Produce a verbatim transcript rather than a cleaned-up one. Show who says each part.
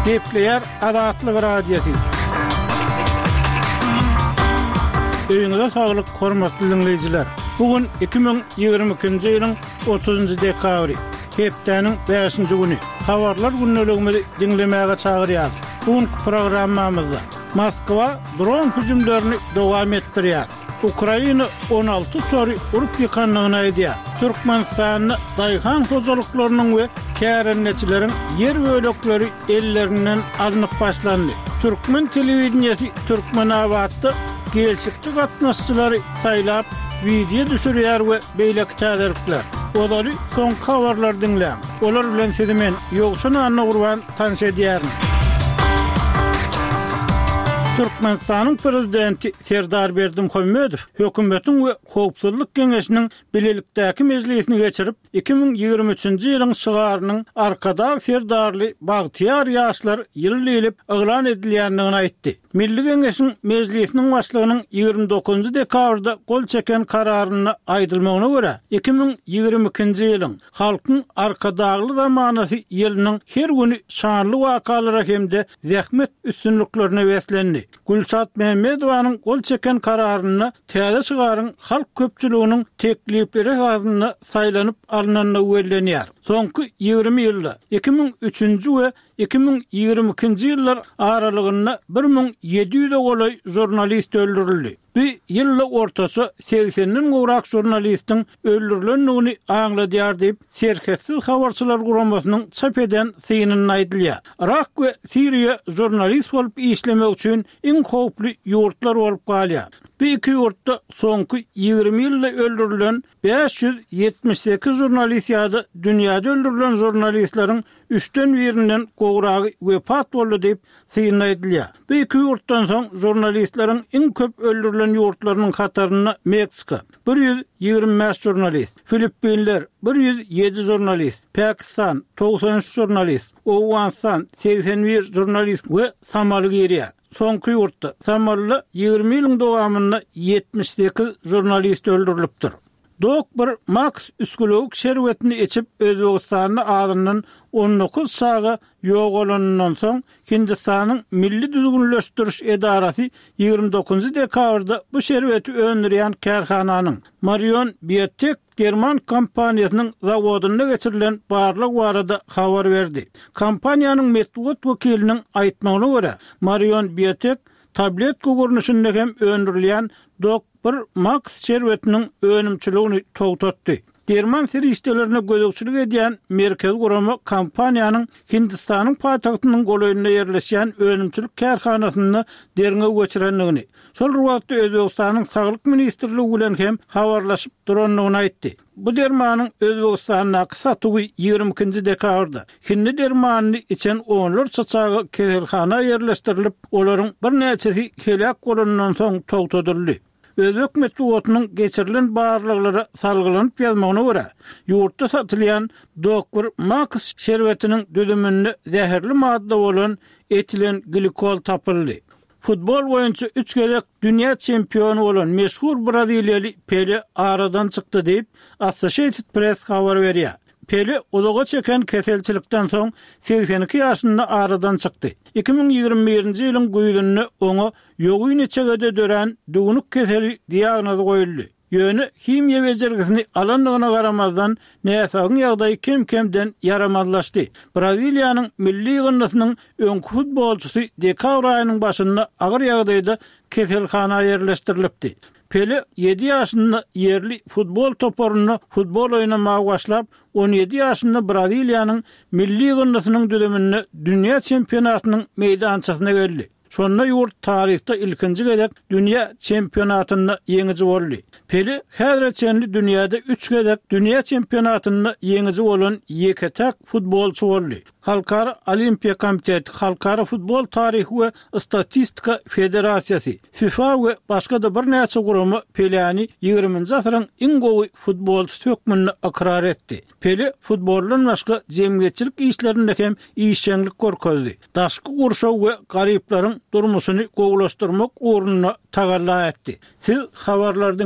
Speaker 1: Gepleýär Azatlyk Radiosy. Öýüňize saglyk, hormatly diňleýjiler. Bu gün iki müň ýigrimi ikinji ýylyň otuzynjy dekabry, hepdäniň bäşinji güni. Habarlar gündeligimizi diňlemäge çagyrýarys. Bu günki programmamyzda Moskwa dron hüjümlerini dowam etdirýär. Ukraina on alty uçary urup ýykandygyny aýdýar. Türkmenistanda daýhan hojalyklarynyň we kärendeçileriň ýer bölekleri ellerinden alnyp başlandy. Türkmen telewideniýesi Türkmenabatda gelşikli gatnaşyjylary saýlap, wideo düşürýär we beýleki täzelikler. Ozaly soňky habarlary diňläň. Olar bilen sizi men, Ýowşan Annagurban, tanyş edýärin. Türkmenistanyň Prezidenti Serdar Berdimuhamedow Hökümetiň we Howpsuzlyk Geňeşiniň bilelikdäki mejlisini geçirip, iki müň ýigrimi üçünji ýylyň şygarynyň Arkadag Serdarly bagtyýar ýaşlar ýyly diýlip yglan edilýändigini aýtdy. Milli Geňeşiň Mejlisiniň Başlygynyň ýigrimi dokuzynjy dekabrda gol çeken kararynda aýdylmagyna görä, iki müň ýigrimi ikinji ýylyň Halkyň Arkadagly zamanasy ýylynyň her güni şanly wakalara hem-de zähmet üstünliklerine beslendi. Gülşat Mämmedowanyň gol çeken kararynda täze şygaryň halk köpçüliginiň teklipleri esasynda saýlanyp alnandygy bellenýär. Soňky ýigrimi ýylda iki müň üçünji we iki müň ýigrimi ikinji ýyllar aralygynda bir müň ýedi ýüze golaý žurnalist öldürildi. Bu ýylda ortaça segsenden gowrak žurnalistiň öldürilendigini aňladýar diýip, Serhetsiz habarçylar guramasynyň çap eden synynda aýdylýar. Yrak we Siriýa žurnalist bolup işlemek üçin iň howply ýurtlar bolup galýar. Bu iki ýurtda soňky ýigrimi ýylda öldürilen bäş ýüz ýetmiş sekiz žurnalist ýa-da dünýäde öldürilen žurnalistleriň üçden birinden gowragy wepat boldy diýip, synda aýdylýar. Bu iki ýurtdan soň žurnalistleriň iň köp öldürilen ýurtlarynyň hatarynda Meksika, bir ýüz ýigrimi bäş žurnalist, Filippinler, bir ýüz ýedi žurnalist, Pakistan, togsan üç žurnalist, Owganystan, segsen bir žurnalist we Somali girýär. Soňky ýurtda, Somalida ýigrimi ýylyň dowamynda ýetmiş sekiz žurnalist öldürilipdir. Dok bir Max üsgülewük şerbetini içip Özbegistanda azyndan on dokuz çaga ýogalanyndan soň Hindistanyň Milli Düzgünleşdiriş edarasy ýigrimi dokuzynjy dekabrda bu şerbeti öndürýän kärhananyň Marion Biotech german kompaniýasynyň zawodynda geçirilen barlag barada habar berdi. Kompaniýanyň metbugat wekiliniň aýtmagyna görä, Marion Biotech tabletka görnüşinde hem öndürilýän Dok bir Max şerbetiniň önümçiligini togtatdy. Derman serişdelerine gözegçilik edýän merkezi gurama kompaniýanyň Hindistanyň paýtagtynyň golaýynda ýerleşýän önümçilik kärhanasynda derňew geçirendigini, şol bir wagtda Özbegistanyň Saglyk ministrligi bilen hem habarlaşyp durandygyny aýtdy. Bu dermanyň Özbegistandaky satuwy ýigrimi ikinji dekabrda hindi dermanyny içen onlarça çaga keselhana ýerleşdirilip, olaryň birnäçesi heläk bolandan soň togtadyldy. Özbek metbugatynyň geçirilen barlaglara salgylanyp ýazmagyna görä, ýurtda satylýan Doktor Max şerbetiniň düzüminde zäherli madda bolan etilen glikol tapyldy. Futbol boýunça üç gezek dünýä çempiony bolan meşhur braziliýaly Pele aradan çykdy diýip, Associated Press habar berýär. Pele uzaga çeken keselçilikden soň segsen iki ýaşynda aradan çykdy. Iki müň ýigrimi birinji ýylyň güýzünde oňa ýogyn içegede dörän düwnük keseli diagnozy goýuldy. Ýöne himiýa bejergisini alandygyna garamazdan, näsagyň ýagdaýy kem-kemden ýaramazlaşdy. Braziliýanyň milli ýygyndysynyň öňki futbolçysy dekabr aýynyň başynda agyr ýagdaýda keselhana ýerleşdirilipdi. Pele ýedi ýaşynda ýerli futbol toparynda futbol oýnamaga başlap, on ýedi ýaşynda Braziliýanyň milli ýygyndysynyň düzüminde dünýä çempionatynyň meýdançasyna geldi. Şonda ýurt taryhda ilkinji gezek dünýä çempionatynda ýeňiji boldy. Pele häzire çenli dünýäde üç gezek dünýä çempionatynda ýeňiji bolan ýeke-täk futbolçy boldy. Halkara Olimpiýa komiteti, Halkara futbol taryhy we statistika federasiýasy, FIFA we başga-da birnäçe gurama Peläni ýigriminji asyryň iň gowy futbolçysy hökmünde ykrar etdi. Pele futboldan başga jemgyýetçilik işlerinde hem işjeňlik görkezdi. Daşky gurşaw we garyplaryň durmuşyny gowulaşdyrmak ugrunda tagalla etdi. Siz habarlary diňlediniz.